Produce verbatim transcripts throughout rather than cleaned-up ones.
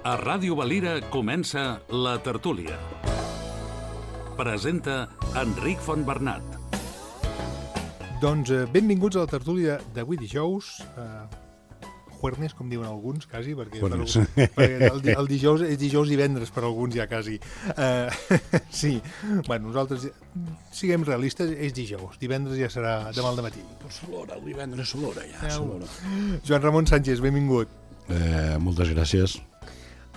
A Ràdio Valira comença La Tertúlia. Presenta Enric Fontbernat. Doncs eh, benvinguts a la tertúlia d'avui dijous. Eh, juernes, com diuen alguns, quasi, perquè, per, Juernes. perquè el, di- el dijous és dijous i divendres per alguns ja, quasi. Eh, sí, bueno, nosaltres siguem realistes, és dijous. Divendres ja serà demà al matí. S'olora, el divendres s'olora ja, Ja, s'olora. Joan Ramon Sánchez, benvingut. Eh, moltes gràcies.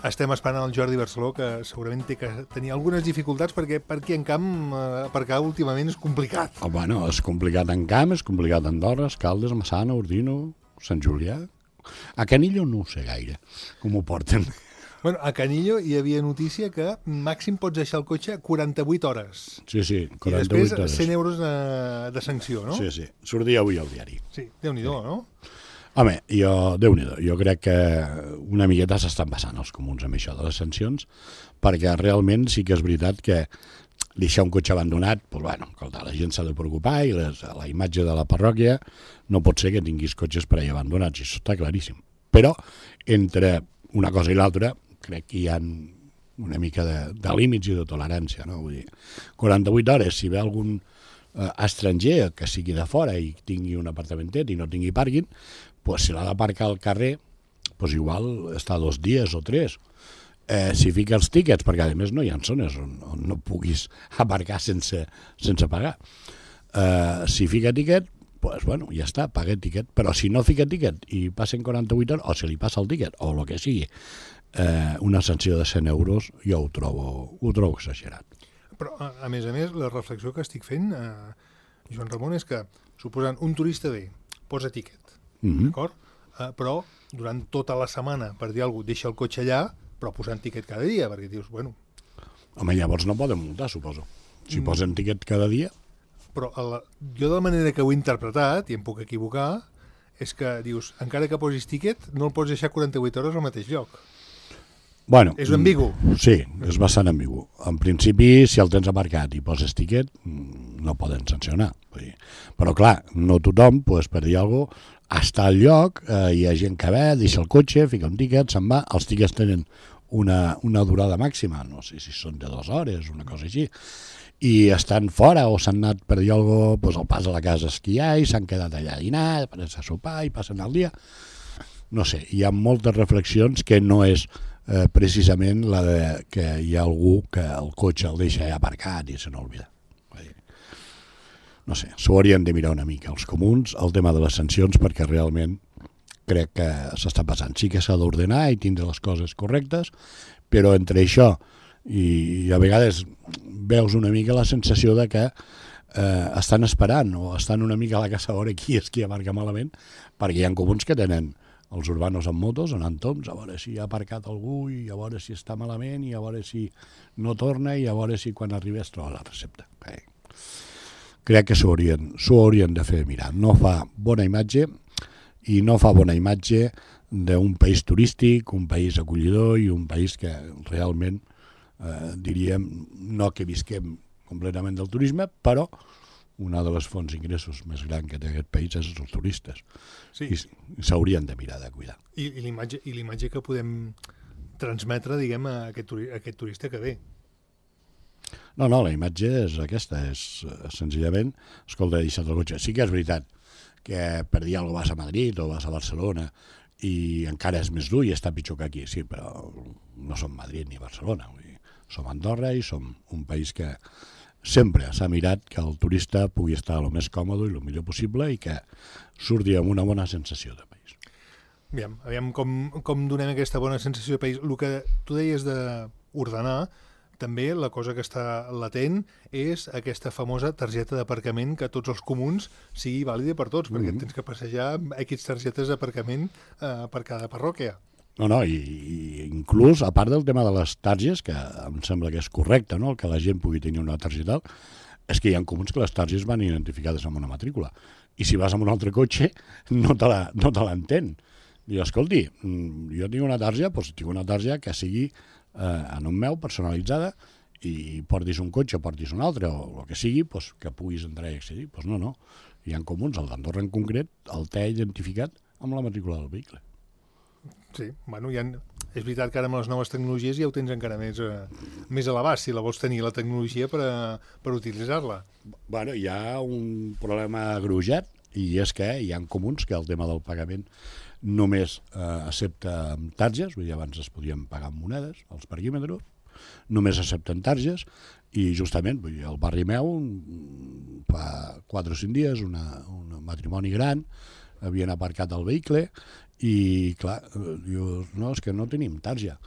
Estem esperant el Jordi Barceló, que segurament té que tenir algunes dificultats perquè per aquí en camp eh, aparcar últimament és complicat. Oh, bueno, és complicat en Camp, és complicat a Andorra, Escaldes, Massana, Ordino, Sant Julià. A Canillo no ho sé gaire, com ho porten. Bueno, a Canillo hi havia notícia que màxim pots deixar el cotxe quaranta-vuit hores. Sí, sí, I quaranta-vuit després hores. cent euros de, de sanció, no? Sí, sí, sortia avui al diari. Sí, Déu-n'hi-do, no? Home, jo, Déu-n'hi-do, jo crec que una miqueta s'estan passant els comuns amb això de les sancions, perquè realment sí que és veritat que deixar un cotxe abandonat, doncs, bueno, escolta, la gent s'ha de preocupar i les, la imatge de la parròquia no pot ser que tinguis cotxes per allà abandonats, i això està claríssim. Però entre una cosa i l'altra crec que hi ha una mica de, de límits i de tolerància, no? Vull dir, quaranta-vuit hores, si ve algun eh, estranger que sigui de fora i tingui un apartamentet i no tingui pàrquing, pues si l'ha d'aparcar al carrer, pues igual està dos dies o tres. Eh, si fica els tíquets, perquè a més no hi ha zones on, on no puguis aparcar sense, sense pagar. Eh, si fica tíquet, pues bueno, ja està, paga tíquet. Però si no fica tíquet i passen quaranta-vuit hores, o se li passa el tíquet, o el que sigui, eh, una sanció de cent euros, jo ho trobo, ho trobo exagerat. Però, a, a més a més, la reflexió que estic fent, eh, Joan Ramon, és que, suposant, un turista ve, posa tíquet, Mm-hmm. d'acord? Eh, però, durant tota la setmana, per dir alguna cosa, deixa el cotxe allà, però posant tíquet cada dia, perquè dius, bueno... Home, llavors no poden multar, suposo. Si Mm. posen tíquet cada dia... Però a la, jo de la manera que ho he interpretat, i em puc equivocar, és que dius, encara que posis tíquet, no el pots deixar quaranta-vuit hores al mateix lloc. Bueno, És ambigu. Sí, és bastant ambigu. En principi, si el tens aparcat i poses tíquet, no poden sancionar. Vull dir. Però clar, no tothom, pues, per dir alguna cosa, està al lloc, eh, hi ha gent que ve, deixa el cotxe, fica un tíquet, se'n va, els tíquets tenen una, una durada màxima, no sé si són de dues hores, una cosa així, i estan fora o s'han anat per dir alguna cosa, pues, al pas a la casa a esquiar i s'han quedat allà a dinar, a sopar i passen el dia. No sé, hi ha moltes reflexions que no és eh, precisament la de que hi ha algú que el cotxe el deixa aparcat i se n'olvida. No sé, s'ho haurien de mirar una mica els comuns, el tema de les sancions, perquè realment crec que s'està passant. Sí que s'ha d'ordenar i tindre les coses correctes, però entre això i, i a vegades veus una mica la sensació de que eh, estan esperant o estan una mica a la casa a veure qui és qui aparca malament, perquè hi ha comuns que tenen els urbanos amb motos anant toms, a veure si ha aparcat algú i a veure si està malament i a veure si no torna i a veure si quan arriba es troba la recepta. Okay. Crec que s'ho haurien, s'ho haurien de fer mirar. No fa bona imatge i no fa bona imatge d'un país turístic, un país acollidor i un país que realment, eh, diríem, no que visquem completament del turisme, però una de les fonts d'ingressos més grans que té aquest país és els turistes. Sí. I s'haurien de mirar de cuidar. I, i l'imatge i l'imatge que podem transmetre, diguem, a aquest, turi, a aquest turista que ve. No, no, la imatge és aquesta, és eh, senzillament, escolta, he deixat el cotxe. Sí que és veritat que per dir alguna cosa vas a Madrid o vas a Barcelona i encara és més dur i està pitjor que aquí, sí, però no som Madrid ni Barcelona, vull dir, som Andorra i som un país que sempre s'ha mirat que el turista pugui estar el més còmode i el millor possible i que surti amb una bona sensació de país. Aviam, aviam com, com donem aquesta bona sensació de país. El que tu deies d'ordenar, també la cosa que està latent és aquesta famosa targeta d'aparcament que a tots els comuns sigui vàlida per tots, perquè Mm-hmm. tens que passejar aquestes targetes d'aparcament eh, per cada parròquia. No, no, i, i inclús, a part del tema de les targes, que em sembla que és correcte, no?, que la gent pugui tenir una targeta, és que hi ha comuns que les targes van identificades amb una matrícula. I si vas amb un altre cotxe, no te la, no te l'entén. Diu, escolti, jo tinc una tarja, doncs tinc una tarja que sigui eh, en un meu, personalitzada, i portis un cotxe o portis un altre, o el que sigui, doncs, que puguis entrar i accedir. Doncs no, no. Hi ha comuns, el d'Andorra en concret, el té identificat amb la matrícula del vehicle. Sí, bueno, hi ha, és veritat que ara amb les noves tecnologies ja ho tens encara més, eh, més a l'abast, si la vols tenir la tecnologia per, a, per utilitzar-la. Bueno, hi ha un problema agrujat, i és que hi ha comuns que el tema del pagament només eh, accepta amb targes, vull dir, abans es podien pagar amb monedes, els parquímetres, només accepten targes, i justament, vull dir, al barri meu, fa quatre o cinc dies, una, un matrimoni gran, havien aparcat el vehicle, i clar, diu, no, és que no tenim tarja,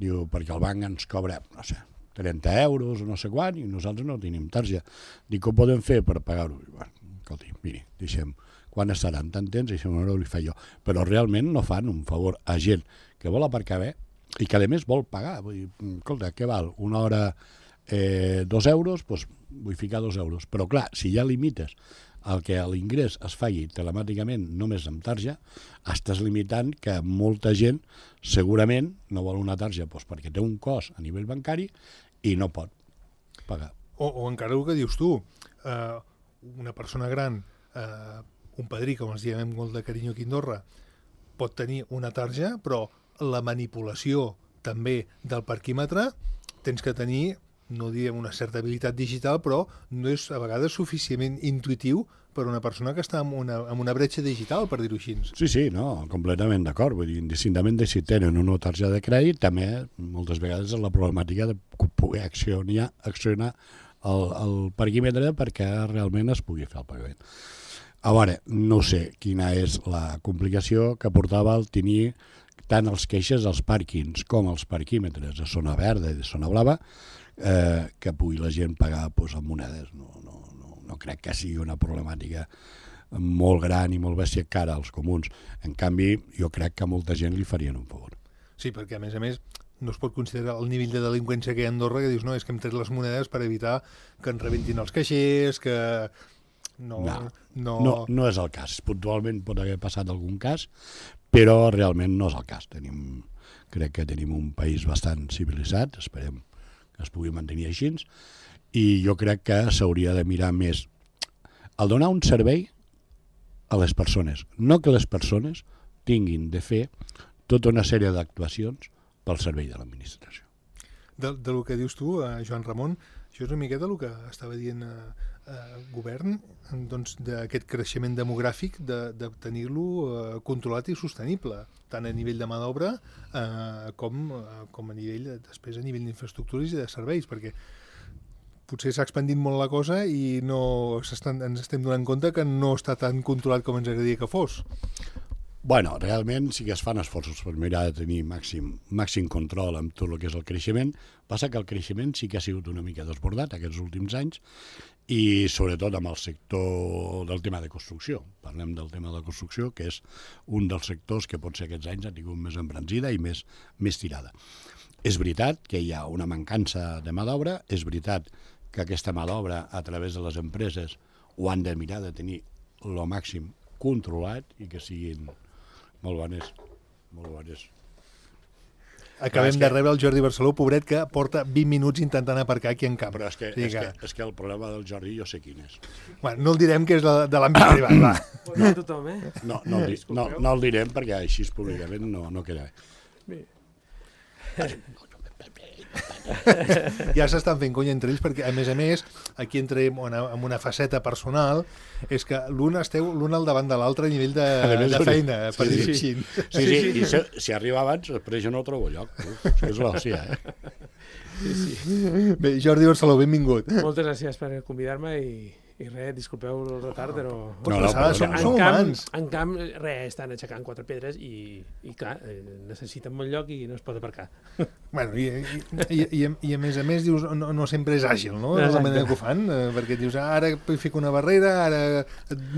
diu, perquè el banc ens cobra, no sé, trenta euros o no sé quan, i nosaltres no tenim tarja. Dic, com podem fer per pagar-ho? Bueno, escolti, miri, deixem, quan estaran tan temps, deixem una hora li fa jo. Però realment no fan un favor a gent que vol aparcar bé i que a més vol pagar. Vull dir, escolta, què val? Una hora eh, dos euros, doncs vull ficar dos euros. Però clar, si ja limites el que l'ingrés es faci telemàticament només amb tarja, estàs limitant que molta gent segurament no vol una tarja doncs perquè té un cost a nivell bancari i no pot pagar. O, o encara el que dius tu, eh, una persona gran, eh, un padrí, com ens diem amb molt de carinyo aquí a Andorra, pot tenir una tarja, però la manipulació també del parquímetre tens que tenir, no diem una certa habilitat digital, però no és a vegades suficientment intuitiu per una persona que està en una, en una bretxa digital, per dir-ho així. Sí, sí, no, completament d'acord. Vull dir, indistintament de si tenen una targeta de crèdit, també moltes vegades és la problemàtica de poder accionar, accionar el, el parquímetre perquè realment es pugui fer el pagament. A veure, no sé quina és la complicació que portava el tenir tant els queixes dels pàrquings com els parquímetres de zona verda i de zona blava, eh, que pugui la gent pagar doncs, amb monedes. No, no, no, no crec que sigui una problemàtica molt gran i molt bèstia cara als comuns. En canvi, jo crec que a molta gent li farien un favor. Sí, perquè a més a més no es pot considerar el nivell de delinqüència que hi ha a Andorra, que dius, no, és que hem tret les monedes per evitar que ens rebentin els caixers, que... No, no, no... no, no és el cas. Puntualment pot haver passat algun cas, però realment no és el cas. Tenim, crec que tenim un país bastant civilitzat, esperem que es pugui mantenir així, i jo crec que s'hauria de mirar més el donar un servei a les persones, no que les persones tinguin de fer tota una sèrie d'actuacions pel servei de l'administració. De, de lo que dius tu, eh, Joan Ramon, això és una miqueta el que estava dient eh, eh, govern, doncs, d'aquest creixement demogràfic, de, de tenir-lo eh, controlat i sostenible, tant a nivell de mà d'obra eh, com, eh, com a nivell, de, després a nivell d'infraestructures i de serveis, perquè potser s'ha expandit molt la cosa i no s'estan, ens estem donant compte que no està tan controlat com ens agradaria que fos. Bueno, realment sí que es fan esforços per mirar de tenir màxim, màxim control amb tot el que és el creixement. Passa que el creixement sí que ha sigut una mica desbordat aquests últims anys i sobretot amb el sector del tema de construcció. Parlem del tema de la construcció, que és un dels sectors que potser aquests anys ha tingut més embranzida i més, més tirada. És veritat que hi ha una mancança de mà d'obra, és veritat que aquesta mà d'obra a través de les empreses ho han de mirar de tenir el màxim controlat i que siguin molt bones, molt bones. Acabem de rebre el Jordi Barceló, pobret, que porta vint minuts intentant aparcar aquí en camp. Però és que, sí, és, que... Que, és que el problema del Jordi jo sé quin és. Bueno, no el direm que és de, de l'àmbit privat, va. No, tothom, eh? No, no, el, no, no el direm perquè així públicament no, no queda bé. Ja s'estan fent conya entre ells perquè, a més a més, aquí entrem en una faceta personal, és que l'un esteu l'un al davant de l'altre a nivell de, de feina, per sí, dir-ho sí. així. Sí, sí, sí. I si, si arriba abans, després jo no trobo lloc. Uf, és l'hòstia, eh? Sí, sí. Bé, Jordi Barceló, benvingut. Moltes gràcies per convidar-me i, i res, disculpeu el retard, però... Pots no, passar, no, som, en som camp, humans. En camp, res, estan aixecant quatre pedres i, i clar, necessiten molt lloc i no es pot aparcar. Bueno, i, i, i, i a més a més dius, no, no sempre és àgil, no? Exacte. La manera que ho fan, perquè dius, ara fico una barrera, ara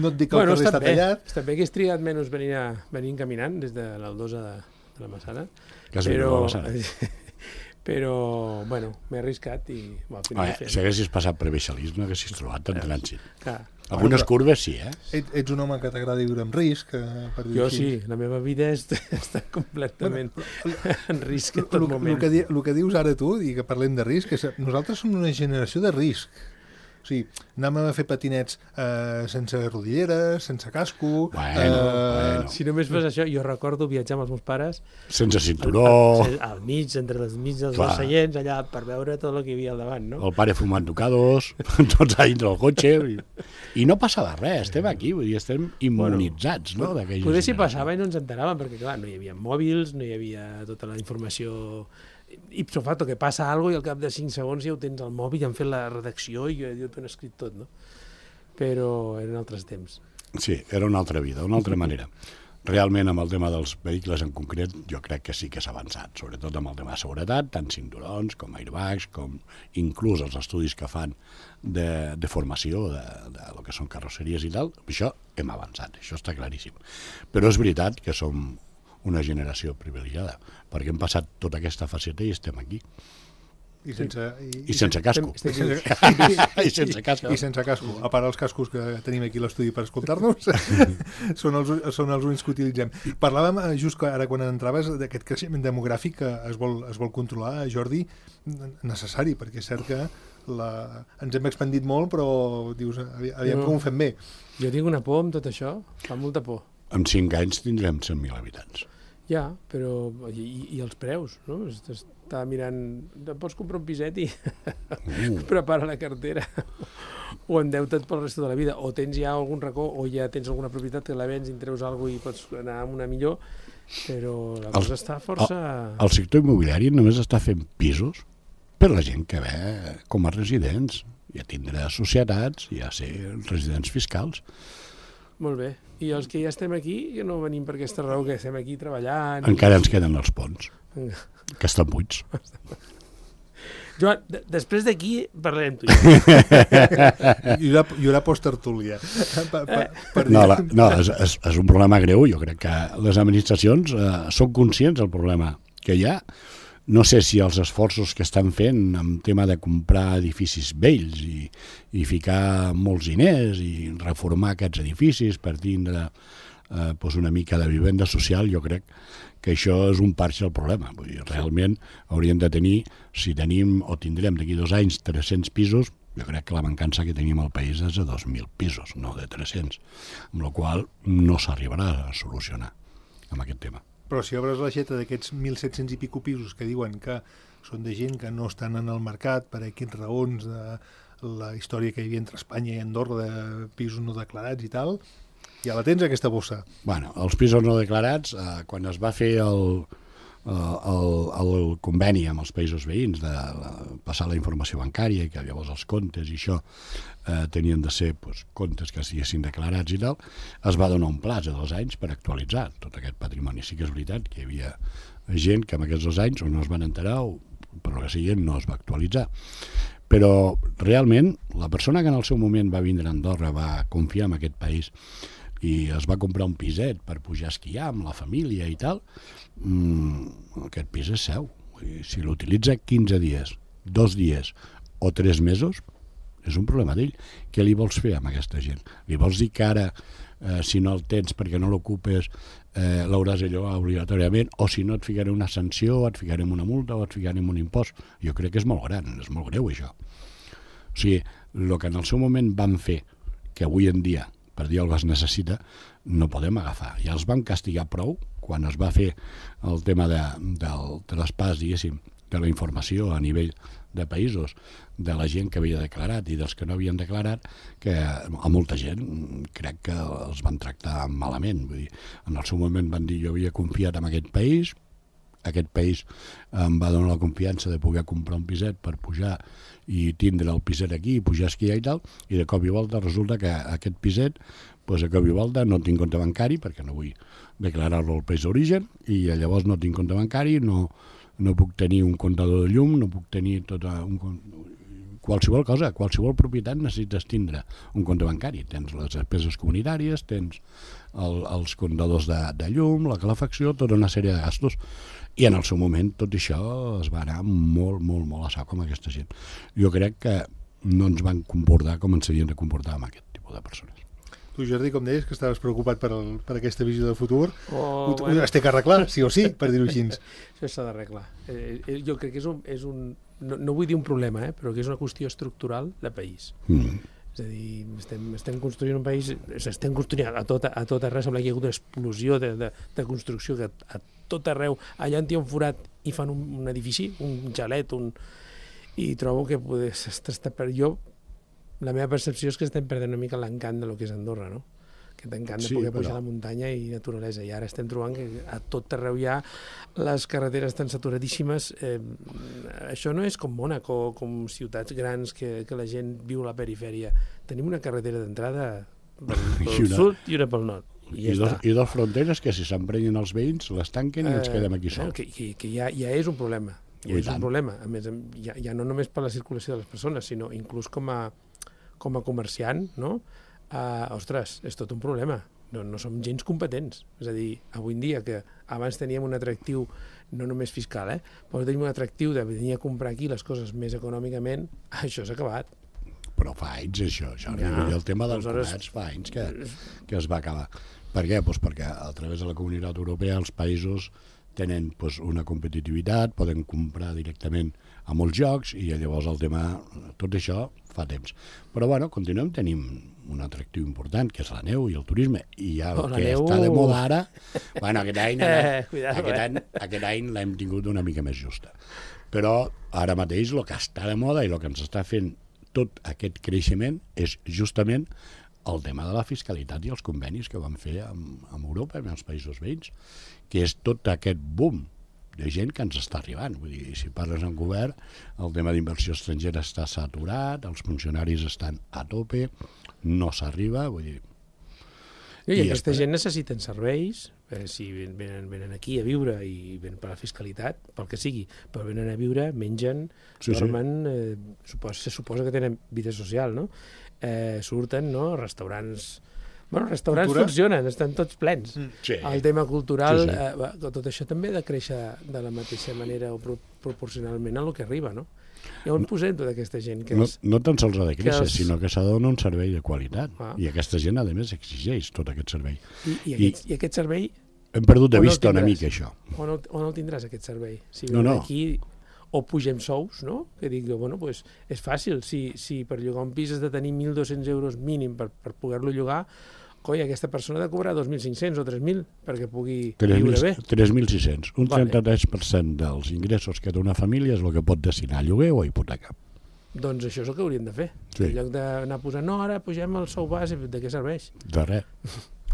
no et dic que bueno, el carrer està bé, tallat. Està bé que has triat menys venir, a, venir caminant des de l'Aldosa de, de la Massana. Que has però... la Massana. Però, bueno, m'he arriscat i... Bueno, Veure, si haguessis passat per Beixalís no haguessis trobat en trànsit. Clar. Algunes curves sí, eh? Et, ets un home que t'agrada viure amb risc, per dir jo així. Sí, la meva vida és, està completament bueno, en risc en tot el, moment. El que, el que dius ara tu, i que parlem de risc, és que nosaltres som una generació de risc. O sigui, anàvem a fer patinets eh, sense rodilleres, sense casco... Bueno, eh, bueno. Si només fos això, jo recordo viatjar amb els meus pares... Sense cinturó... Al, al, al mig, entre les mig dels dos seients, allà, per veure tot el que hi havia al davant, no? El pare fumant tocados, tots a dintre del cotxe... I, i no passava res, estem aquí, vull dir, estem immunitzats, bueno, no? Poder si passava i no ens enteràvem, perquè, clar, no hi havia mòbils, no hi havia tota la informació... Ipso facto, que passa alguna cosa i al cap de cinc segons ja ho tens al mòbil i han fet la redacció i jo t'ho han escrit tot, no? Però eren altres temps. Sí, era una altra vida, una altra manera. Realment, amb el tema dels vehicles en concret, jo crec que sí que s'ha avançat, sobretot amb el tema de seguretat, tant cinturons com airbags, com inclús els estudis que fan de, de formació, de, de lo que són carrosseries i tal, això hem avançat, això està claríssim. Però és veritat que som una generació privilegiada, perquè hem passat tota aquesta faceta i estem aquí. I sense, i, I sense casco. I sense, I sense casco. I sense casco. A part els cascos que tenim aquí a l'estudi per escoltar-nos, són, els, són els únics que utilitzem. Parlàvem, just ara quan entraves, d'aquest creixement demogràfic que es vol, es vol controlar, Jordi, necessari, perquè és cert que la... ens hem expandit molt, però dius, aviam no. com ho fem bé. Jo tinc una por amb tot això, fa molta por. En cinc anys tindrem cent mil habitants. Ja, però... I, i els preus, no? Estava mirant... Pots comprar un piset i uh. prepara la cartera. O endeutat pel resto de la vida. O tens ja algun racó, o ja tens alguna propietat que la vens i en treus alguna cosa i pots anar amb una millor. Però la cosa el, està força... El, el sector immobiliari només està fent pisos per la gent que ve com a residents. Ja tindrà societats, ja ser residents fiscals. Molt bé. I els que ja estem aquí, que no venim per aquesta raó, que estem aquí treballant... Encara i... ens queden els ponts, que estan buits. Joan, després d'aquí parlarem tu. Hi haurà, hi haurà post-tertúlia. Per, per, per no, la, no és, és, és un problema greu. Jo crec que les administracions eh, són conscients del problema que hi ha. No sé si els esforços que estan fent en tema de comprar edificis vells i, i ficar molts diners i reformar aquests edificis per tindre eh, doncs una mica de vivenda social, jo crec que això és un parche del problema. Vull dir, realment hauríem de tenir, si tenim o tindrem d'aquí dos anys tres-cents pisos, jo crec que la mancança que tenim al país és de dos mil pisos, no de tres-cents, amb la qual cosa no s'arribarà a solucionar amb aquest tema. Però si obres l'aixeta d'aquests mil set-cents i pico pisos que diuen que són de gent que no estan en el mercat per aquests raons de la història que hi havia entre Espanya i Andorra de pisos no declarats i tal, ja la tens aquesta bossa. Bueno, els pisos no declarats, eh, quan es va fer el, el, el conveni amb els països veïns de la, passar la informació bancària i que llavors els comptes i això eh, tenien de ser pues, comptes que estiguessin declarats i tal, es va donar un plaç de dos anys per actualitzar tot aquest patrimoni. Sí que és veritat que hi havia gent que en aquests dos anys o no es van enterar o per lo que sigui no es va actualitzar. Però realment la persona que en el seu moment va vindre a Andorra va confiar en aquest país i es va comprar un piset per pujar a esquiar amb la família i tal, mmm, aquest pis és seu. Si l'utilitza quinze dies, dos dies o tres mesos, és un problema d'ell. Què li vols fer amb aquesta gent? Li vols dir que ara, eh, si no el tens perquè no l'ocupes, eh, l'hauràs de llogar obligatòriament, o si no et ficaré una sanció, et ficarem una multa o et ficarem un impost? Jo crec que és molt gran, és molt greu això. O sigui, el que en el seu moment van fer, que avui en dia per dir alguna cosa es necessita, no podem agafar. Ja els van castigar prou quan es va fer el tema de, del traspàs, diguéssim, de la informació a nivell de països, de la gent que havia declarat i dels que no havien declarat, que a molta gent crec que els van tractar malament. Vull dir, en el seu moment van dir jo havia confiat en aquest país, aquest país em va donar la confiança de poder comprar un piset per pujar i tindre el piset aquí i pujar a esquiar i tal, i de cop i volta resulta que aquest piset, doncs de cop i volta no tinc compte bancari perquè no vull declarar-lo al país d'origen i llavors no tinc compte bancari, no, no puc tenir un comptador de llum, no puc tenir tota un, qualsevol cosa, qualsevol propietat necessites tindre un compte bancari. Tens les despeses comunitàries, tens el, els comptadors de, de llum, la calefacció, tota una sèrie de gastos. I en el seu moment tot això es va anar molt, molt, molt a sac amb aquesta gent. Jo crec que no ens van comportar com ens havien de comportar amb aquest tipus de persones. Tu, Jordi, com deies, que estaves preocupat per, el, per aquesta visió de futur, Oh, ho, bueno. es té que arreglar, sí o sí, per dir-ho així. Això s'ha d'arreglar. Eh, eh, jo crec que és un... És un no, no vull dir un problema, eh, però que és una qüestió estructural de país. Mm. És a dir, estem, estem construint un país, estem construint a tot, a tot arreu, sembla que hi ha hagut una explosió de, de, de construcció que a tot arreu, allà on hi ha un forat i fan un, un edifici, un xalet, un... i trobo que poder, s'està per jo, la meva percepció és que estem perdent una mica l'encant de lo que és Andorra, no? Aquest encant de Sí, poder pujar però- a la muntanya i naturalesa, i ara estem trobant que a tot arreu hi ha les carreteres tan saturadíssimes. Eh, això no és com Mònaco, com ciutats grans que, que la gent viu a la perifèria. Tenim una carretera d'entrada pel, pel I una- sud i una pel nord. I, I, ja dos, està. I dos fronteres que si s'emprenyen els veïns les tanquen i ens Eh, quedem aquí eh, sols. Que, que, que ja, ja és un problema. Ja I és tant. un problema. A més, em- ja, ja no només per la circulació de les persones, sinó inclús com a, com a comerciant, no? Uh, ostres, és tot un problema. No, no som gens competents. És a dir, avui en dia, que abans teníem un atractiu, no només fiscal, eh? però tenim un atractiu de venir a comprar aquí les coses més econòmicament, això s'ha acabat. Però fa anys, això, Jordi. Ja. Ja. El tema dels Aleshores- comerç fa anys que, que es va acabar. Per què? Pues perquè a través de la Comunitat Europea els països tenen pues, una competitivitat, poden comprar directament a molts jocs i llavors el tema, tot això fa temps. Però bueno, continuem tenim un atractiu important, que és la neu i el turisme, i ja el Oh, la que neu- està de moda ara, bueno, aquest any, Eh, cuidado, aquest eh. any, aquest any l'hem tingut una mica més justa. Però ara mateix el que està de moda i el que ens està fent tot aquest creixement és justament el tema de la fiscalitat i els convenis que van fer amb, amb Europa i amb els països veïns, que és tot aquest boom de gent que ens està arribant. Vull dir, si parles en govern, el tema d'inversió estrangera està saturat, els funcionaris estan a tope, no s'arriba, vull dir... I, I aquesta espera. gent necessiten serveis, eh, si ven- venen, venen aquí a viure i venen per la fiscalitat, pel que sigui, però venen a viure, mengen, Sí, sí. dormen, eh, supos, se suposa que tenen vida social, no? Eh, surten, no?, restaurants... Bueno, els restaurants Cultura? funcionen, estan tots plens. Mm. Sí. El tema cultural, Sí, sí. Eh, va, tot això també ha de créixer de la mateixa manera o pro proporcionalment a lo que arriba, no? I on posem tota aquesta gent que No, és... no tan sols ha de créixer, els- sinó que s'ha de donar un servei de qualitat. Ah. I aquesta gent, a més, exigeix tot aquest servei. I, i, I- aquest, I aquest servei, Hem perdut de On el vista una tindràs? mica això. on el, on el tindràs, aquest servei? Si No, venen no. aquí o pugem sous, no? Que dic, bueno, pues, és fàcil. Si, si per llogar un pis has de tenir mil dos-cents euros mínim per, per poder-lo llogar, coi, aquesta persona ha de cobrar dos mil cinc-cents o tres mil perquè pugui viure bé. tres mil sis-cents. Un Vale. trenta-tres per cent dels ingressos que té una família és el que pot destinar a lloguer o a hipoteca. Doncs això és el que hauríem de fer. Sí. En lloc d'anar posant, no, ara pugem el sou base, de què serveix? De res.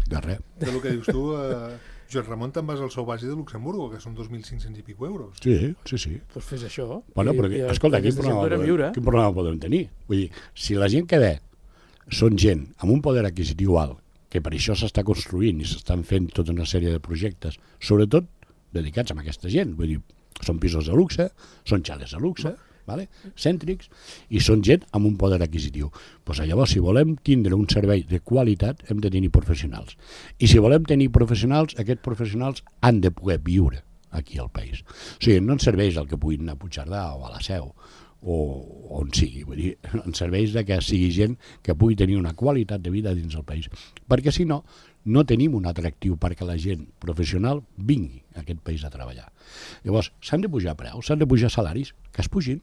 De res. De lo que dius tu, eh, Joan Ramon, te'n vas al sou base de Luxemburgo, que són dos mil cinc-cents i pico euros. Sí, sí, sí. Doncs pues fes això. Bueno, però, I- i escolta, quin aquesta gent problema, podrà podem, viure. quin problema podem tenir? Vull dir, si la gent que ve són gent amb un poder adquisitiu alt, que per això s'està construint i s'estan fent tota una sèrie de projectes, sobretot dedicats a aquesta gent, vull dir, són pisos de luxe, són xales de luxe, vale? Cèntrics, i són gent amb un poder adquisitiu. Pues llavors, si volem tindre un servei de qualitat, hem de tenir professionals. I si volem tenir professionals, aquests professionals han de poder viure aquí al país. O sigui, no ens serveix el que puguin anar a Puigcerdà o a la Seu, o on sigui, vull dir, ens serveix de que sigui gent que pugui tenir una qualitat de vida dins del país, perquè si no, no tenim un atractiu perquè la gent professional vingui a aquest país a treballar. Llavors, s'han de pujar preus, s'han de pujar salaris, que es pugin.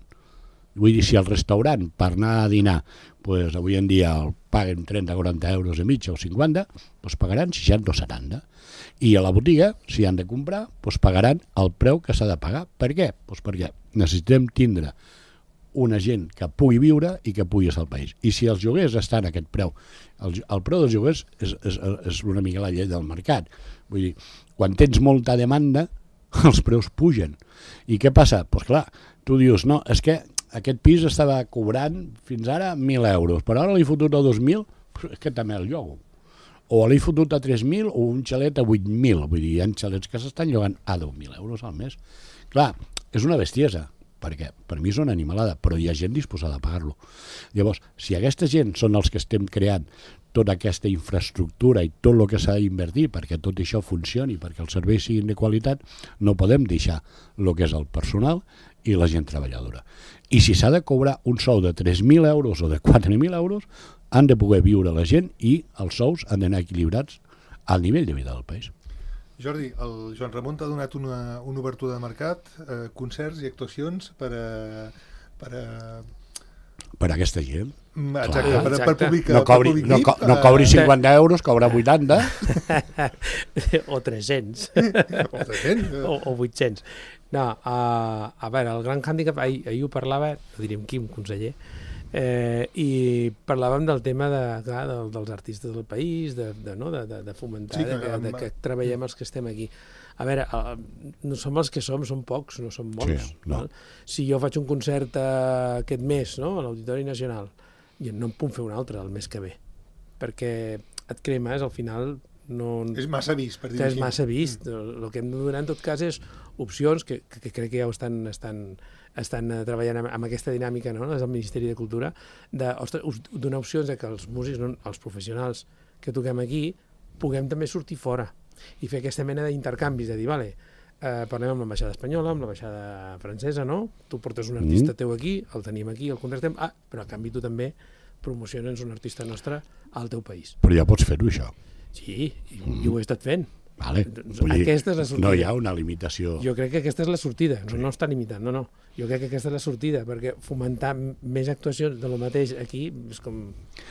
Vull dir, si al restaurant per anar a dinar pues, avui en dia el paguen trenta a quaranta euros a mitja o cinquanta, doncs pagaran seixanta o setanta. I a la botiga, si han de comprar, doncs pagaran el preu que s'ha de pagar. Per què? Doncs perquè necessitem tindre una gent que pugui viure i que pugui estar al país. I si els lloguers estan a aquest preu, el, el preu dels lloguers és, és, és una mica la llei del mercat. Vull dir, quan tens molta demanda, els preus pugen. I què passa? Doncs pues clar, tu dius, no, és que aquest pis estava cobrant fins ara mil euros, però ara l'he fotut a dos mil, és que també el llogo. O l'he fotut a tres mil o un xalet a vuit mil. Vull dir, hi ha xalets que s'estan llogant a deu mil euros al mes. Clar, és una bestiesa, perquè per mi és una animalada, però hi ha gent disposada a pagar-lo. Llavors, si aquesta gent són els que estem creant tota aquesta infraestructura i tot el que s'ha d'invertir perquè tot això funcioni, perquè els serveis siguin de qualitat, no podem deixar el que és el personal i la gent treballadora. I si s'ha de cobrar un sou de tres mil euros o de quatre mil euros, han de poder viure la gent i els sous han d'anar equilibrats al nivell de vida del país. Jordi, el Joan Ramon t'ha donat una, una obertura de mercat, eh, concerts i actuacions per a... Per a... Per a aquesta gent. Exacte, Clar. per, Exacte. per públic, No cobri, per no, públic co V I P, no cobri cinquanta euros, cobra vuitanta. o tres-cents. O tres-cents. o, o vuit-cents. No, uh, a veure, el gran hàndicap, ahir, ahir ho parlava, no diríem Quim, conseller, eh, i parlàvem del tema de, clar, de, dels artistes del país, de, de, no, de, de, de fomentar, Sí, sí, que, de, de, de que treballem els que estem aquí. A veure, uh, no som els que som, som pocs, no som molts. Sí, no. Val? Si jo faig un concert uh, aquest mes, no?, a l'Auditori Nacional, i no em puc fer un altre el mes que ve, perquè et cremes, al final no... És massa vist, per dir-ho és així. massa vist. Mm. El que hem de donar, en tot cas, és opcions que, que, que crec que ja ho estan, estan, estan treballant amb, amb aquesta dinàmica, no?, des del Ministeri de Cultura, de, ostres, us donar opcions de que els músics, no, els professionals que toquem aquí, puguem també sortir fora i fer aquesta mena d'intercanvis, de dir, vale, eh, parlem amb l'ambaixada espanyola, amb l'ambaixada francesa, no? Tu portes un artista mm. teu aquí, el tenim aquí, el contractem, ah, però a canvi tu també promociones un artista nostre al teu país. Però ja pots fer-ho, això. Sí, i, mm. i ho he estat fent. Vale. Vull dir, aquesta és la sortida. No hi ha una limitació. Jo crec que aquesta és la sortida, no, Sí. no està limitant, no, no. Jo crec que aquesta és la sortida, perquè fomentar més actuacions de lo mateix aquí és com...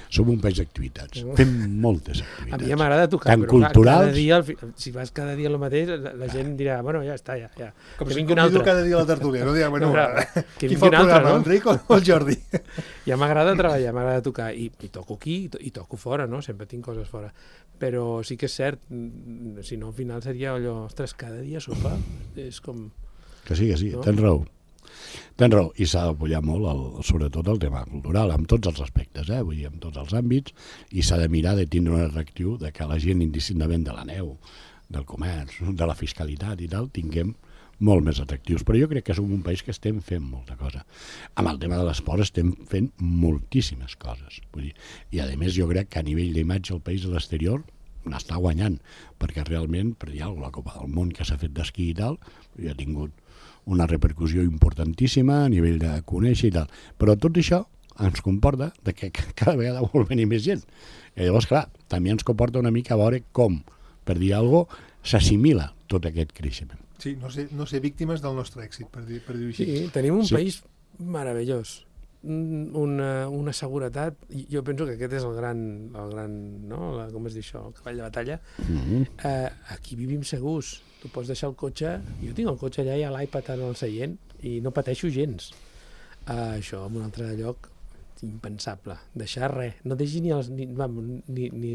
Som un país d'activitats. No. Fem moltes A activitats. mi ja m'agrada tocar, Tant però clar, culturals... cada dia, al fi- si vas cada dia el mateix, la, la gent dirà, bueno, ja està, ja. ja. Com que si vingui un convido altre. cada dia a la tertúlia, no dirà, bueno, No, clar, que qui vingui fa el un altre, programa, no? l'Enric o el Jordi? Ja m'agrada treballar, m'agrada tocar, i, i toco aquí, i, to, i toco fora, no? Sempre tinc coses fora. Però sí que és cert, mm, si no, al final seria allò, ostres, cada dia sopar, és com... Que sí, que sí, No? tens raó. Tens raó, i s'ha d'apoyar molt, el, sobretot el tema cultural, amb tots els aspectes, eh? Vull dir, en tots els àmbits, i s'ha de mirar de tindre un atractiu de que la gent, indistintament de la neu, del comerç, de la fiscalitat i tal, tinguem molt més atractius. Però jo crec que som un país que estem fent molta cosa. Amb el tema de l'esport estem fent moltíssimes coses. Vull dir, i a més jo crec que a nivell d'imatge el país a l'exterior n'està guanyant, perquè realment, per dir alguna cosa, la Copa del Món que s'ha fet d'esquí i tal, ja ha tingut una repercussió importantíssima a nivell de conèixer i tal. Però tot això ens comporta de que cada vegada vol venir més gent. I llavors, clar, també ens comporta una mica a veure com, per dir alguna cosa, s'assimila tot aquest creixement. Sí, no ser, no ser víctimes del nostre èxit, per dir- per dir-ho així. Sí, tenim un Sí. país meravellós, Un- una, una seguretat, i jo penso que aquest és el gran, el gran no? La, com es diu això, el cavall de batalla. Mm-hmm. Eh, aquí vivim segurs, tu pots deixar el cotxe, jo tinc el cotxe allà i l'iPad en el seient i no pateixo gens. Eh, això en un altre lloc impensable, deixar res, no deixi ni els ni, vamos, ni, ni,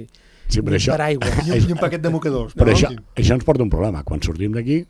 Sí, però ni això- paraigua. I un, i un paquet de mocadors. Però no? això, Sí. això ens porta un problema. Quan sortim d'aquí,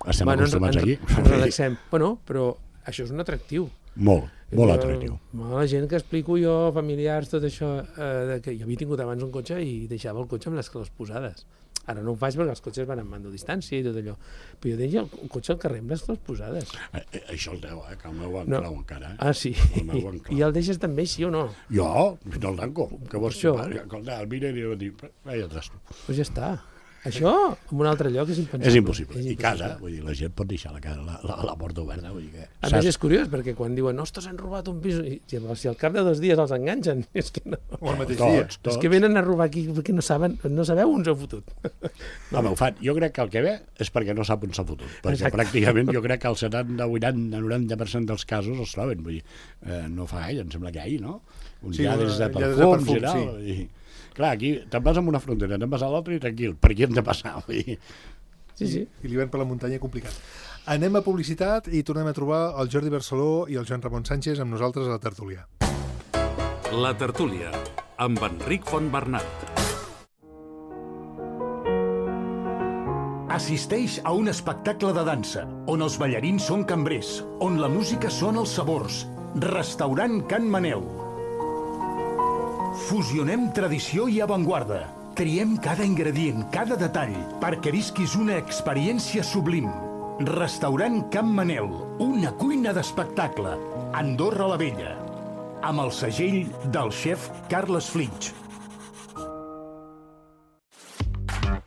estem Bueno, ens, acostumats ens, aquí. ens relaxem. Bueno, però això és un atractiu. Molt, molt Jo- atractiu. La gent que explico jo, familiars, tot això, eh, de que jo havia tingut abans un cotxe i deixava el cotxe amb les claus posades. Ara no ho faig perquè els cotxes van amb mando a distància i tot allò. Però jo deixo el cotxe al carrer amb les claus posades. Eh, eh, Això el teu, eh, que el meu en No. clau encara. Eh? Ah, sí? El meu I, en clau. I el deixes també, sí o no? Jo, no el tanco. Que vols Això. fer? Escolta, el mira i li diu, vaja trasto. Doncs pues ja està. Això, en un altre lloc, és impensable. És impossible. És I casa, impossible. vull dir, la gent pot deixar la, casa, la, la, la porta oberta. Vull dir que, A més, és curiós, perquè quan diuen ostres, han robat un pis, i si, si al cap de dos dies els enganxen, és que no. O el mateix dia. tots, tots. És que venen a robar aquí perquè no saben, no sabeu on s'ha fotut. Home, ho fan. Jo crec que el que ve és perquè no sap on s'ha fotut. Perquè Exacte. pràcticament jo crec que el setanta, vuitanta, noranta per cent dels casos els troben. Vull dir, eh, no fa gaire, em sembla que ahir, no? Uns Sí, lladres de lladres de perfums perfum, i tal. I, clar, aquí te'n vas amb una frontera, te'n vas a l'altra i tranquil. Per aquí hem de passar. Vull dir, Sí, sí. I l'hivern per la muntanya complicat. Anem a publicitat i tornem a trobar el Jordi Barceló i el Joan Ramon Sánchez amb nosaltres a la tertúlia. La tertúlia, amb Enric Fontbernat. Assisteix a un espectacle de dansa, on els ballarins són cambrers, on la música són els sabors. Restaurant Can Manel. Fusionem tradició i avantguarda. Triem cada ingredient, cada detall, perquè visquis una experiència sublim. Restaurant Can Manel, una cuina d'espectacle. Andorra la Vella. Amb el segell del xef Carles Flitsch.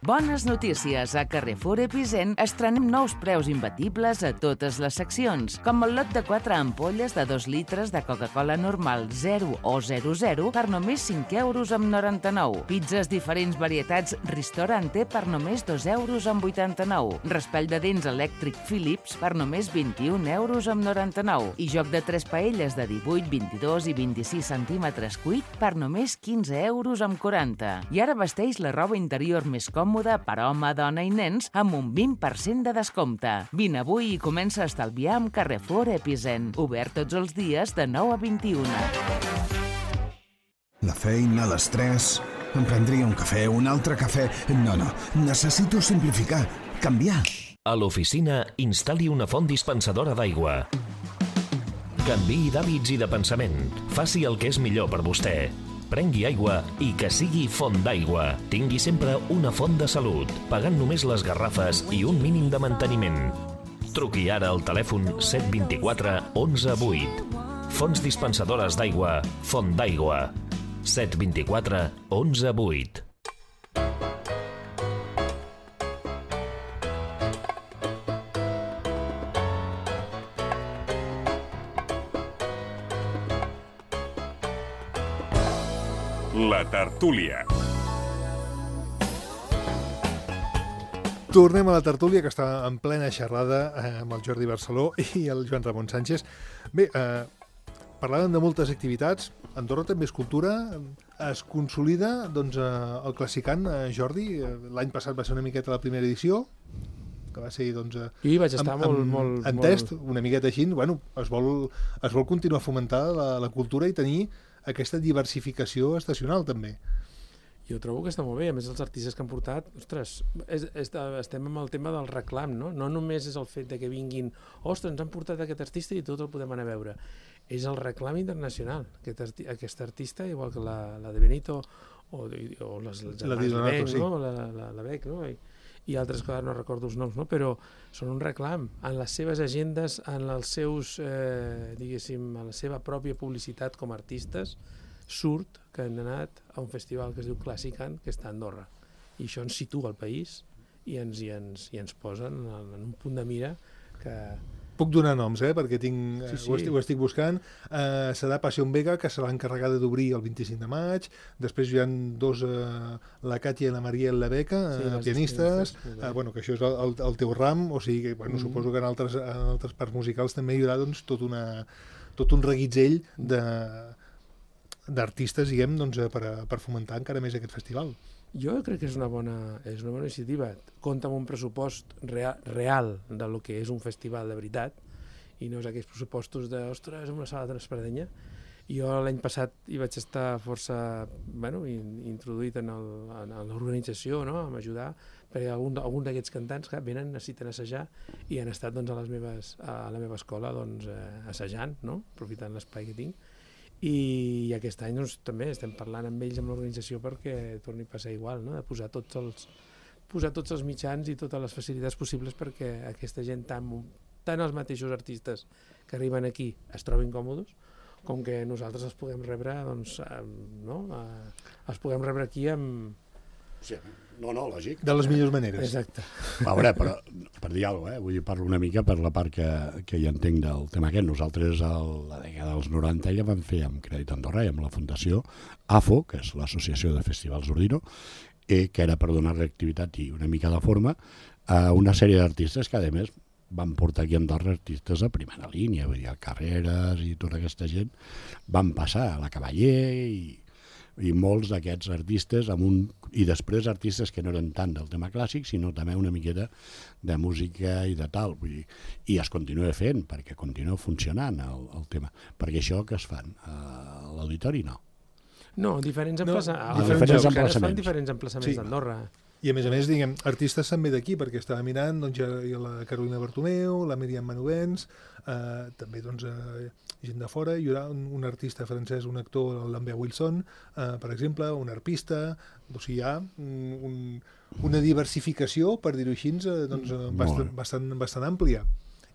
Bones notícies. A Carrefour Epicent estrenem nous preus imbatibles a totes les seccions, com el lot de quatre ampolles de dos litres de Coca-Cola normal zero o zero zero per només cinc euros amb noranta-nou. Pizzas diferents varietats Ristorante per només dos euros amb vuitanta-nou. Raspall de dents elèctric Philips per només vint-i-un euros amb noranta-nou. I joc de tres paelles de divuit, vint-i-dos i vint-i-sis centímetres cuit per només quinze euros amb quaranta. I ara vesteix la roba interior més còmoda per home, dona i nens amb un vint per cent de descompte. Vine avui i comença a estalviar amb Carrefour Epicent. Obert tots els dies de nou a vint-i-una. La feina, l'estrès... Em prendria un cafè, un altre cafè... No, no, necessito simplificar, canviar. A l'oficina, instal·li una font dispensadora d'aigua. Canviï d'hàbits i de pensament. Faci el que és millor per vostè. Prengui aigua i que sigui font d'aigua. Tingui sempre una font de salut, pagant només les garrafes i un mínim de manteniment. Truqui ara al telèfon set dos quatre onze vuit. Fonts dispensadores d'aigua, Font d'aigua. set dos quatre onze vuit. La tertúlia. Tornem a la tertúlia, que està en plena xerrada eh, amb el Jordi Barceló i el Joan Ramon Sánchez. Bé, eh, parlàvem de moltes activitats. Andorra també és cultura. Es consolida doncs, eh, el Classicant, eh, Jordi. L'any passat va ser una miqueta la primera edició, que va ser doncs, I vaig estar amb, molt, amb, molt, en molt... test, una miqueta així. Bueno, es vol, es vol continuar fomentar la, la cultura i tenir aquesta diversificació estacional, també. Jo trobo que està molt bé. A més, els artistes que han portat... Ostres, és, és, estem amb el tema del reclam, no? No només és el fet de que vinguin... Ostres, ens han portat aquest artista i tot el podem anar a veure. És el reclam internacional. Aquest, arti aquest artista, igual que la, la de Benito o, o les, les la germans Donato, Bec, sí. no? La, la, la Bec, no? I, i altres que no recordo els noms, no? Però són un reclam en les seves agendes, en els seus, eh, diguéssim, en la seva pròpia publicitat com a artistes. Surt que han anat a un festival que es diu Classicant, que està a Andorra. I això ens situa al país i ens, i ens, i ens posen en, en un punt de mira que... Puc donar noms, eh? Perquè tinc, Sí, sí. Ho, estic, ho estic buscant. Uh, serà Passion Vega, que serà encarregada d'obrir el vint-i-cinc de maig. Després hi ha dos, uh, la Katia i la Mariel Lebeca, Sí, uh, les pianistes, pianistes, uh, bueno, que això és el, el, el teu ram, o sigui que bueno, Mm. suposo que en altres, en altres parts musicals també hi haurà doncs, tot, una, tot un reguitzell de d'artistes, diguem, doncs, per, a, per fomentar encara més aquest festival. Jo crec que és una bona, és una bona iniciativa. Compta amb un pressupost real, real de lo que és un festival de veritat i no és aquells pressupostos de, ostres, una sala d'Espardenya. Jo l'any passat hi vaig estar força bueno, in, introduït en l'organització, no? A m'ajudar, perquè algun, algun d'aquests cantants que venen, necessiten assajar i han estat doncs, a, les meves, a la meva escola doncs, eh, assajant, no? Aprofitant l'espai que tinc. I aquest any doncs, també estem parlant amb ells, amb l'organització, perquè torni a passar igual, no? De posar tots els, posar tots els mitjans i totes les facilitats possibles perquè aquesta gent, tant, tant els mateixos artistes que arriben aquí es trobin còmodes, com que nosaltres els puguem rebre, doncs, no? Els puguem rebre aquí amb... Sí, no, no, lògic. De les millors maneres. Exacte. A veure, però, per dir alguna cosa, eh? Vull dir, parlo una mica per la part que, que hi entenc del tema aquest. Nosaltres, a la dècada dels noranta, ja vam fer amb Crèdit Andorra i amb la Fundació A F O, que és l'Associació de Festivals Ordino, eh, que era per donar reactivitat i una mica de forma a una sèrie d'artistes que, a més, van portar aquí a Andorra artistes a primera línia, vull dir, Carreras i tota aquesta gent, van passar a la Cavaller i, i molts d'aquests artistes, amb un, i després artistes que no eren tant del tema clàssic, sinó també una miqueta de música i de tal, vull dir, i es continua fent, perquè continua funcionant el, el tema. Perquè això que es fan a l'auditori, no. No, diferents emplaçaments. No, diferents diferents emplaçaments. Fan emplaçaments. diferents emplaçaments Sí. d'Andorra. I a més a més, diguem, artistes també d'aquí, perquè estava mirant, doncs, hi ha la Carolina Bartomeu, la Míriam Manovens, eh, també doncs, eh, gent de fora, hi haurà un, un artista francès, un actor, el Lambert Wilson, eh, per exemple, un arpista, o sigui, hi ha un, un, una diversificació, per dir-ho així, eh, doncs, eh, bastant, bastant, bastant àmplia.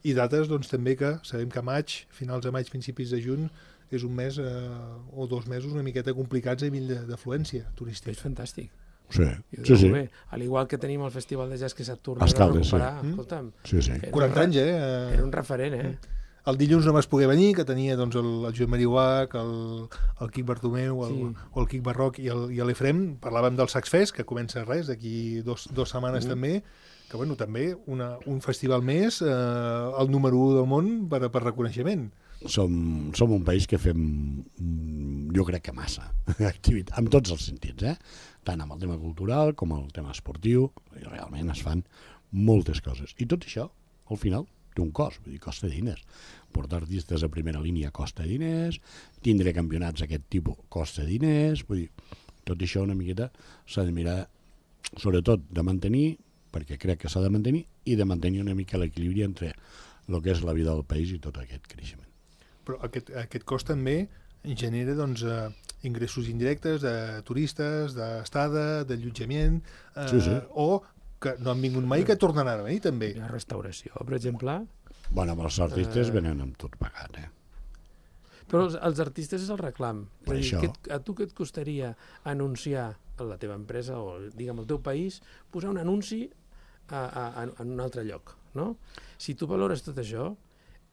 I dates, doncs, també que sabem que maig, finals de maig, principis de juny, és un mes eh, o dos mesos una miqueta complicats a nivell d'afluència turística. És fantàstic. Sí, I sí, sí. bé. Al igual que tenim el Festival de Jazz que s'ha tornat Els a Caldes, sí. recuperar, Mm. escolta'm, Sí, sí. era un quaranta re- anys, eh? Era un referent, eh? El dilluns no vas poder venir, que tenia doncs, el, el Joan Mariuac, el, el Quic Bartomeu, el, Sí. o el Quic Barroc i el- i l'Efrem. Parlàvem del Sax Fest, que comença res, d'aquí dos, dos setmanes Mm. també, que bueno, també una, un festival més, eh, el número u del món per, per reconeixement. Som, som un país que fem, mm, jo crec que massa, activitat, en tots els sentits, eh? Tant amb el tema cultural com el tema esportiu, i realment es fan moltes coses. I tot això, al final, té un cost, vull dir, costa diners. Portar artistes a primera línia costa diners, tindre campionats d'aquest tipus costa diners, vull dir, tot això una miqueta s'ha de mirar, sobretot de mantenir, perquè crec que s'ha de mantenir, i de mantenir una mica l'equilibri entre el que és la vida del país i tot aquest creixement. Però aquest, aquest cost també genera doncs, eh, ingressos indirectes de turistes, d'estada, d'allotjament, eh, Sí, sí. o que no han vingut mai i que tornaran a venir també. Hi ha restauració, per exemple. Bueno, amb els artistes Eh. venen amb tot pagat, eh? Però els, els artistes és el reclam. Per És a dir, això. què et- a tu què et costaria anunciar a la teva empresa o, digue'm, al teu país, posar un anunci a, a, a, en un altre lloc, no? Si tu valores tot això,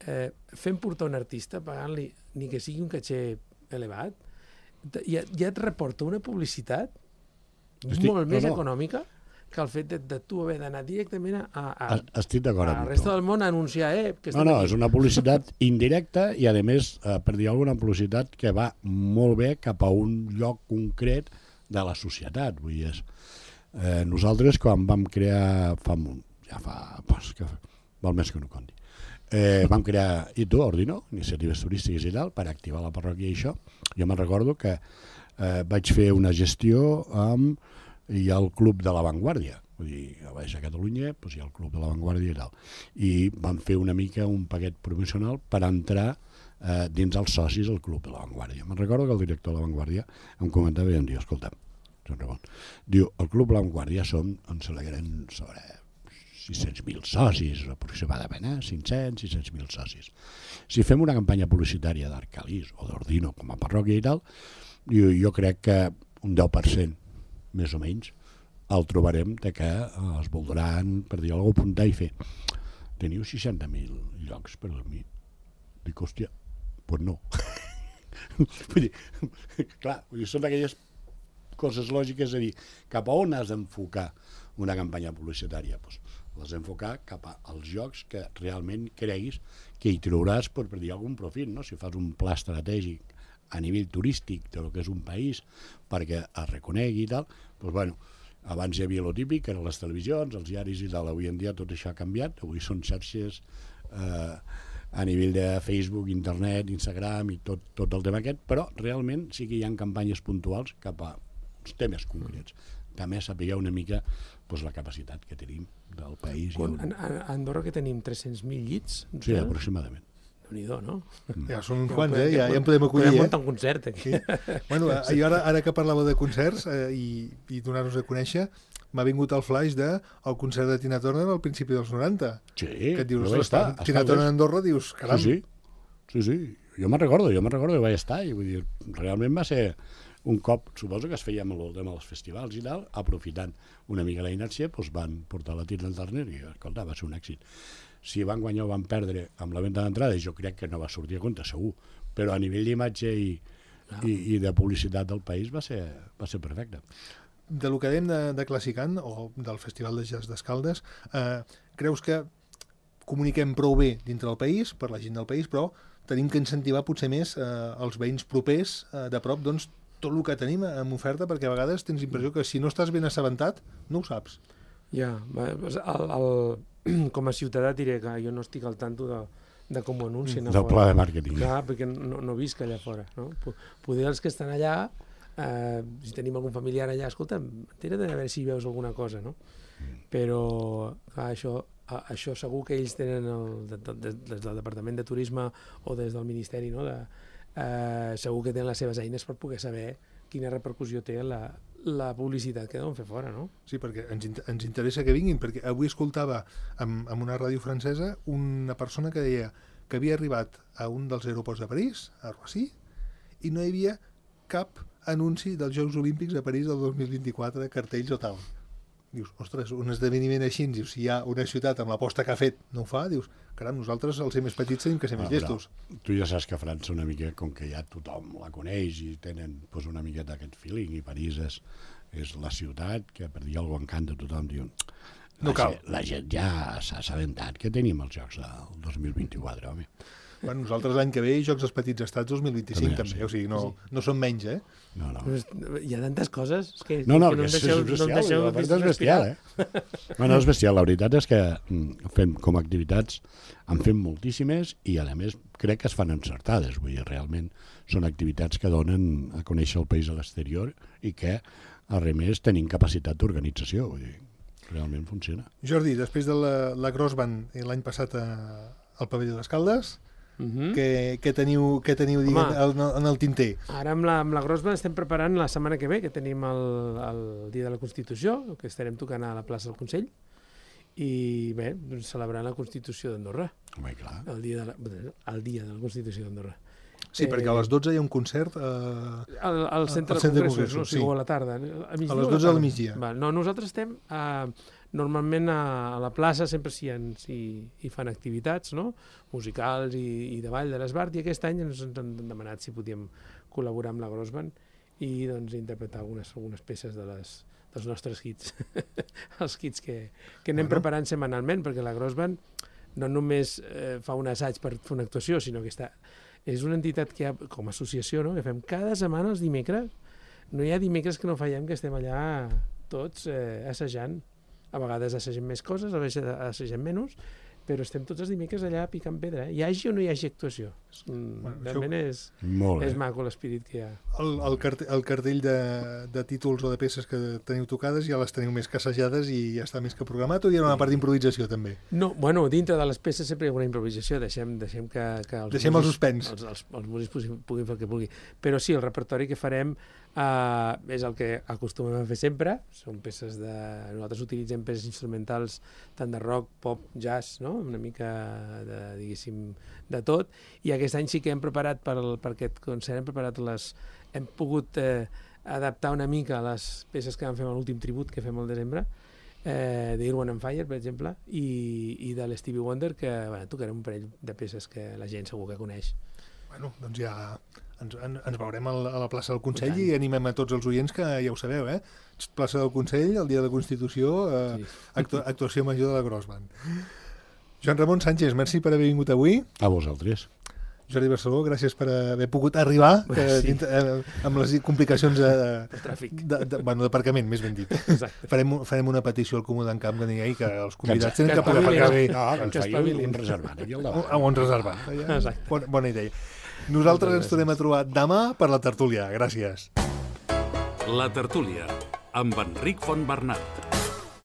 eh, fent portar un artista, pagant-li ni que sigui un caché elevat, te- ja, ja et reporta una publicitat Estic- molt més no, no. econòmica que el fet de, de tu haver d'anar directament a, a, Es- Estic d'acord a la amb resta tu. del món a anunciar, eh, que No, estem no, aquí. és una publicitat indirecta i, a més, eh, per dir alguna publicitat que va molt bé cap a un lloc concret de la societat. Vull dir, és, eh, nosaltres, quan vam crear, fa, molt- ja fa, pues, que val més que no conti, eh, vam crear I T U, Ordino, iniciatives turístiques i tal, per activar la parròquia i això. Jo me'n recordo que eh, vaig fer una gestió amb hi ha el Club de l'Avantguàrdia, vull dir, a baix a Catalunya doncs hi ha el Club de l'Avantguàrdia i tal, i vam fer una mica un paquet promocional per entrar eh, dins els socis del Club de l'Avantguàrdia. Me'n recordo que el director de l'Avantguàrdia em comentava i em diu, escolta, diu, el Club de l'Avantguàrdia som, ens alegrem sobre sis-cents mil socis, aproximadament, eh? cinc-cents, sis-cents mil socis. Si fem una campanya publicitària d'Arcalís o d'Ordino com a parròquia i tal, jo, jo crec que un deu per cent, més o menys, el trobarem de que eh, es voldran, per dir alguna cosa, apuntar i fer. Teniu seixanta mil llocs per dormir. Dic, hòstia, doncs pues no. Vull dir, clar, vull dir, són aquelles coses lògiques, és a dir, cap a on has d'enfocar una campanya publicitària? Pues, l'has d'enfocar cap als llocs que realment creguis que hi trauràs, per, per dir, algun profit, no? Si fas un pla estratègic a nivell turístic del que és un país perquè es reconegui i tal, doncs bueno, abans hi havia lo típic, que eren les televisions, els diaris i tal, avui en dia tot això ha canviat, avui són xarxes eh, a nivell de Facebook, internet, Instagram i tot, tot el tema aquest, però realment sí que hi ha campanyes puntuals cap a temes concrets. També sapigueu una mica doncs, la capacitat que tenim del país. Quan, i el... a, a Andorra que tenim tres-cents mil llits, Sí, aproximadament. Déu-n'hi-do, no? Ja són uns quants, eh? Ja, ja en podem acollir, Podem eh? muntar un concert aquí. Sí. Bueno, eh, i ara, ara que parlàveu de concerts eh, i, i donar-nos a conèixer, m'ha vingut el flash de el concert de Tina Turner al principi dels noranta. Sí, Que et dius, jo vaig estar. ostres, Tina Turner a Andorra, dius, caram. Sí, sí, sí, sí. Jo me'n recordo, jo me'n recordo que vaig estar i vull dir, realment va ser un cop, suposo que es feia amb el tema dels festivals i tal, aprofitant una mica la inèrcia, doncs van portar la Tina Turner i, escolta, va ser un èxit. Si van guanyar o van perdre amb la venda d'entrada, jo crec que no va sortir a compte, segur, però a nivell d'imatge i, Ah. i, i de publicitat del país va ser, va ser perfecte. De lo que dèiem de, de Classicant, o del Festival de Jazz d'Escaldes, eh, creus que comuniquem prou bé dintre del país, per la gent del país, però tenim que incentivar potser més eh, els veïns propers eh, de prop, doncs, tot el que tenim en oferta, perquè a vegades tens l'impressió que si no estàs ben assabentat, no ho saps. Ja, va, el, el, com a ciutadà diré que jo no estic al tanto de, de com ho anuncien a Del fora. pla de màrqueting. Clar, perquè no, no visc allà fora. No? Po- Poder els que estan allà, eh, si tenim algun familiar allà, escolta, entera't a veure si veus alguna cosa, no? Però, clar, això, a, això segur que ells tenen, el, de, de, de, des del Departament de Turisme o des del Ministeri, no? De, eh, segur que tenen les seves eines per poder saber quina repercussió té la, la publicitat que deuen fer fora, no? Sí, perquè ens, int- ens interessa que vinguin, perquè avui escoltava en, en una ràdio francesa una persona que deia que havia arribat a un dels aeroports de París, a Roissy, i no hi havia cap anunci dels Jocs Olímpics a París del dos mil vint-i-quatre, cartells o tal. Dius, ostres, un esdeveniment així, dius, si hi ha una ciutat amb l'aposta que ha fet no ho fa, dius, caram, nosaltres els més petits tenim que ser més llestos. Tu ja saps que França una mica, com que ja tothom la coneix i tenen pues, una miqueta aquest feeling, i París és, és la ciutat que per dir alguna cosa encanta tothom, diu, no cal. Gent, la gent ja s'ha assabentat que tenim els Jocs del dos mil vint-i-quatre, home. Bueno, nosaltres l'any que ve Jocs dels Petits Estats dos mil vint-i-cinc també, sí. O sigui, no, sí. no són menys, eh? No, no. Hi ha tantes coses és que, no, no, que no que em deixeu, és bestial, no em deixeu, la veritat és bestial, eh? Bueno, és bestial, la veritat és que fem com a activitats, en fem moltíssimes i a més crec que es fan encertades, vull dir, realment són activitats que donen a conèixer el país a l'exterior i que, a res més, tenim capacitat d'organització, vull dir, realment funciona. Jordi, després de la, la Crossband l'any passat a, al Pavelló d'Escaldes, Uh-huh. Què, què teniu, què teniu diguem, en, en el tinter? Ara amb la, amb la Grossband estem preparant la setmana que ve, que tenim el, el Dia de la Constitució, que estarem tocant a la plaça del Consell, i bé, doncs, celebrant la Constitució d'Andorra. Home, clar. El dia de la, el dia de la Constitució d'Andorra. Sí, eh, perquè a les dotze hi ha un concert eh, al, al centre de congressos, no? O sigui, sí. O a la tarda. A, a les dotze del migdia. Va, no, nosaltres estem... A, normalment a, a la plaça sempre s'hi si, hi fan activitats, no? Musicals i, i de ball de l'Esbart, i aquest any ens han demanat si podíem col·laborar amb la Grossband i doncs interpretar algunes, algunes peces de les, dels nostres hits, els hits que, que anem bueno. preparant setmanalment, perquè la Grossband no només eh, fa un assaig per fer una actuació, sinó que està, és una entitat que ha, com a associació, no? Que fem cada setmana els dimecres, no hi ha dimecres que no fallem, que estem allà tots eh, assajant. A vegades assagem més coses, a vegades assagem menys, però estem tots els dimecres allà picant pedra. Eh? Hi hagi o no hi hagi actuació. És, bueno, realment és, és maco l'espírit que hi ha. El, el, cartell, el cartell de, de títols o de peces que teniu tocades ja les teniu més que assajades i ja està més que programat, o hi ha una part d'improvisació també? No, bueno, dintre de les peces sempre hi ha una improvisació, deixem, deixem que, que els, deixem músics, el suspens. Els, els, els músics puguin, puguin fer el que vulguin. Però sí, el repertori que farem Uh, és el que acostumem a fer sempre, són peces de... Nosaltres utilitzem peces instrumentals tant de rock, pop, jazz, no? Una mica de, diguéssim, de tot, i aquest any sí que hem preparat per, el, per aquest concert, hem preparat les... hem pogut eh, adaptar una mica les peces que vam fer amb l'últim tribut que fem al desembre, eh, de Earth, Wind and Fire, per exemple, i, i de l'Stevie Wonder, que bueno, tocarem un parell de peces que la gent segur que coneix. Bueno, doncs ja ens, ens veurem a la plaça del Consell i animem a tots els oients que ja ho sabeu, eh? Plaça del Consell, el dia de la Constitució, eh, sí. actu actuació major de la Grossband. Joan Ramon Sánchez, merci per haver vingut avui. A vosaltres. Jordi Barceló, gràcies per haver pogut arribar que, sí. eh, amb les complicacions de, de tràfic. De, de, bueno, d'aparcament, més ben dit. Exacte. Farem, farem una petició al Comú d'en Camp que digui que els convidats tenen que poder pagar bé. No, que ens faci un reservat aquí al davant. Un, un reservat. Exacte. Bona, bona idea. Nosaltres ens tornem a trobar demà per la tertúlia. Gràcies. La tertúlia, amb Enric Fontbernat.